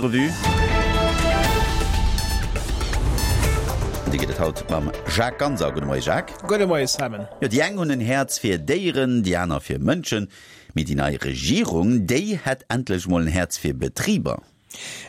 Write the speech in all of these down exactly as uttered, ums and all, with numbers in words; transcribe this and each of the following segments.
Revue. Déi gëtt et haut mam Jacques Ganser. Gudde Moie Jacques. Gudde Moie Simon. Jo, déi eng hunn en Häerz fir Déieren, déi aner fir Mënschen. Mee déi nei Regierung, déi hätt endlech mol en Häerz fir Betriber.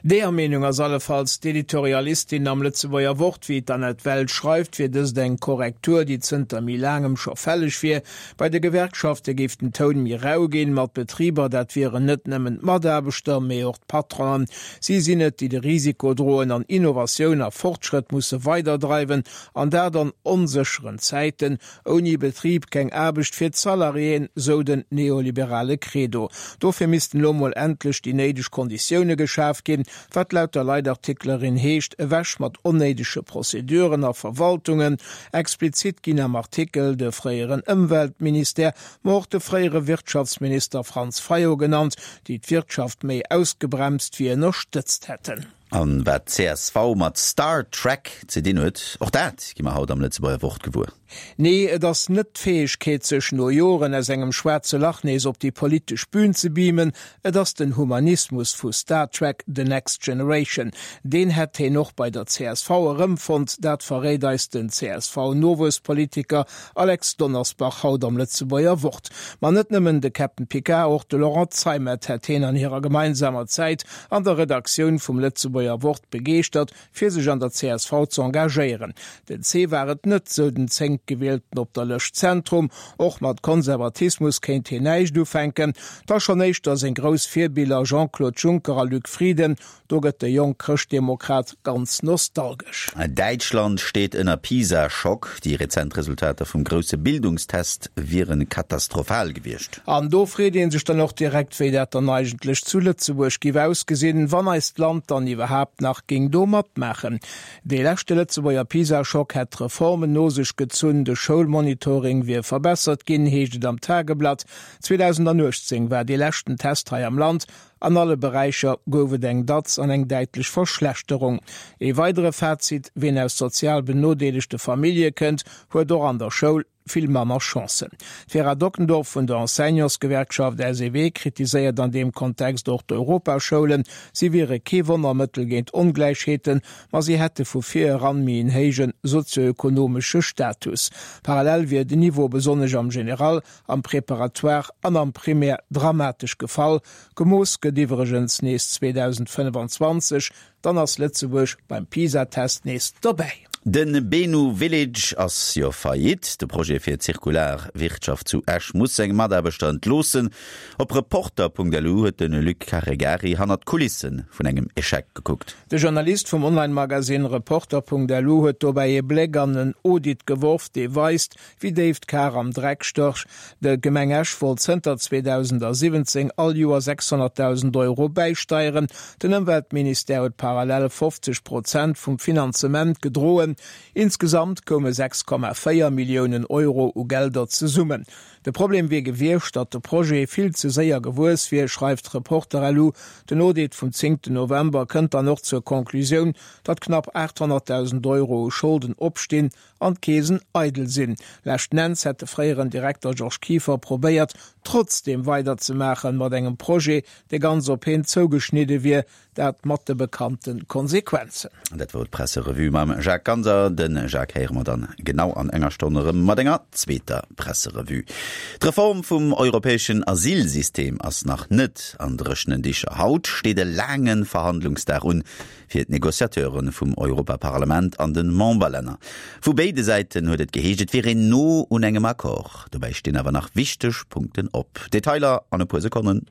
Deeër Meenung ass allefalls d'Editorialistin am Lëtzebuerger Wort. Wéi d'Annette Welsch schreift, wier dëst eng Korrektur, déi zënter méi laangem scho fälleg wier. Bei de Gewerkschafte géif den Toun méi rau ginn, ma d'Betriber, dat wieren net nëmmen d'Mataarbechter, mee och d'Patronen. Si sinn et, déi de Risiko droen an Innovatioun a Fortschrëtt musse weiderdreiwen, an dat an onsécheren Zäiten. Ouni Betrib keng Aarbecht fir d'Salariéen, sou den neoliberale Credo. Dofir missten elo mol endlech déi néideg Konditioune geschaf ginn, wat laut der Leitartiklerin heescht, ewech mat onnéidege Prozeduren a Verwaltungen. Explizit ginn am Artikel de fréieren Ëmweltministère, ma och de fréiere Wirtschaftsminister Franz Fayot genannt, déi d'Wirtschaft méi ausgebremst wéi ënnerstëtzt hätten. An wat csv mat Star Trek ze dinn huet, och dat gi mer haut am Lëtzebuerger Wort gewuer. Nee, et ass net d'Fäegkeet, sech no Joren aus engem schwaarze Lach nees op déi politesch Bühn ze beamen, et ass den Humanismus vu Star Trek, The Next Generation. Deen hätt heen och bei der csv erëmfonnt, dat verréit eis den CSV-Nowuesspolitiker Alex Donnersbach haut am Lëtzebuerger Wort. Ma net nëmmen de Captain Picard, och de Laurent Zeimet hätt heen an hirer gemeinsamer Zäit an der Redaktioun vum Lëtzebuerger Wort begeeschtert, fir sech an der csv ze engagéieren. Den C war et net, sou den Zéngtgewielten op der Lëscht Zentrum. Och mat Konservatismus kéint hien näischt ufänken. Da schonn éischter seng grouss Virbiller Jean-Claude Juncker a Luc Frieden. Do gëtt de jonk Chrëschtdemokrat ganz nostalgesch. Däitschland steet ënner PISA-Schock. Déi rezent Resultater vum grousse Bildungstest wiere katastrophal gewiescht. An do freet ee sech dann och direkt, wéi dat dann eigentlech zu Lëtzebuerg giff ausgesinn, wann eist Land dann iwwerhaapt nach géing do matmaachen. Dee leschte Lëtzebuerger PISA-Schock hätt Reformen no sech gezunn, de Schoulmonitoring wier verbessert ginn, heescht et am Tageblatt. zweedausenduechtzéng war dee leschten Test hei am Land. An alle Beräicher gouf et eng Datz an eng däitlech Verschlechterung. Ee weidere Fazit, Ween aus sozial benodeelegte Famillje kënnt, huet och an der Schoul vill manner Chancen. D'Vera Dockendorf vun der Enseignantsgewerkschaft S E W kritiséiert an deem Kontext och d'Europaschoulen. Si wiere kee Wonnermëttel géint Ongläichheeten, ma si hätte vu vir eran méi en héije sozioökonomesche Status. Parallel wier den Niveau besonnesch am General, am Préparatoire an am Primaire dramatesch gefall. Gemooss gëtt iwwregens nees zweedausendfënnefanzwanzeg, dann ass Lëtzebuerg beim PISA-Test nees dobäi. De Benu Village ass jo faillite. De Projet fir zirkular Wirtschaft zu Esch muss seng Mataarbechter entloossen. Op Reporter Punkt L U huet de Luc Caregari hannert d'Kulisse vun engem Echec gekuckt. De Journalist vum Online-Magasinn Reporter Punkt L U huet dobäi ee Bléck an en Audit geworf, dee weist, wéi déif d'Kar am Dreck stécht. D'Gemeng Esch wollt zënter zweedausendsiwwenzéng all Joer sechshonnertdausend Euro bäisteieren. Den Ëmweltministère huet parallel fofzeg Prozent vum Finanzement gedroen. Insgesamt koume sechs Komma véier Milliounen Euro u Gelder zesummen. De Problem wier gewiescht, datt de Projet vill ze séier gewuess wier, schreift Reporter L U. Den Audit vum zéngten November kënnt dann och zur Conclusioun, datt knapp aathonnertdausend Euro u Scholden opstinn an d'Keesen eidel sinn. Leschten Enns hätt de fréieren Direkter Georges Kieffer probéiert, trotzdeem weiderzemaachen mat engem Projet, dee ganz op hien zougeschnidde wier, dat mat de bekannte Konsequenzen. Dat wor d'Presserevue mam Jacques Ganser. De Jacques héiere mer dann genau an enger Stonn erëm mat enger zweeter Presserevue. D'Reform vum europäeschen Asylsystem ass nach net an dréchenen Dicher. Haut steet e laange Verhandlungsdag un fir d'Negociateure vum Europaparlament an de Memberlänner. Vu béide Säiten huet et geheescht, et wier een no un engem Accord. Dobäi stinn awer nach wichteg Punkten op. Detailer an e puer Sekonnen.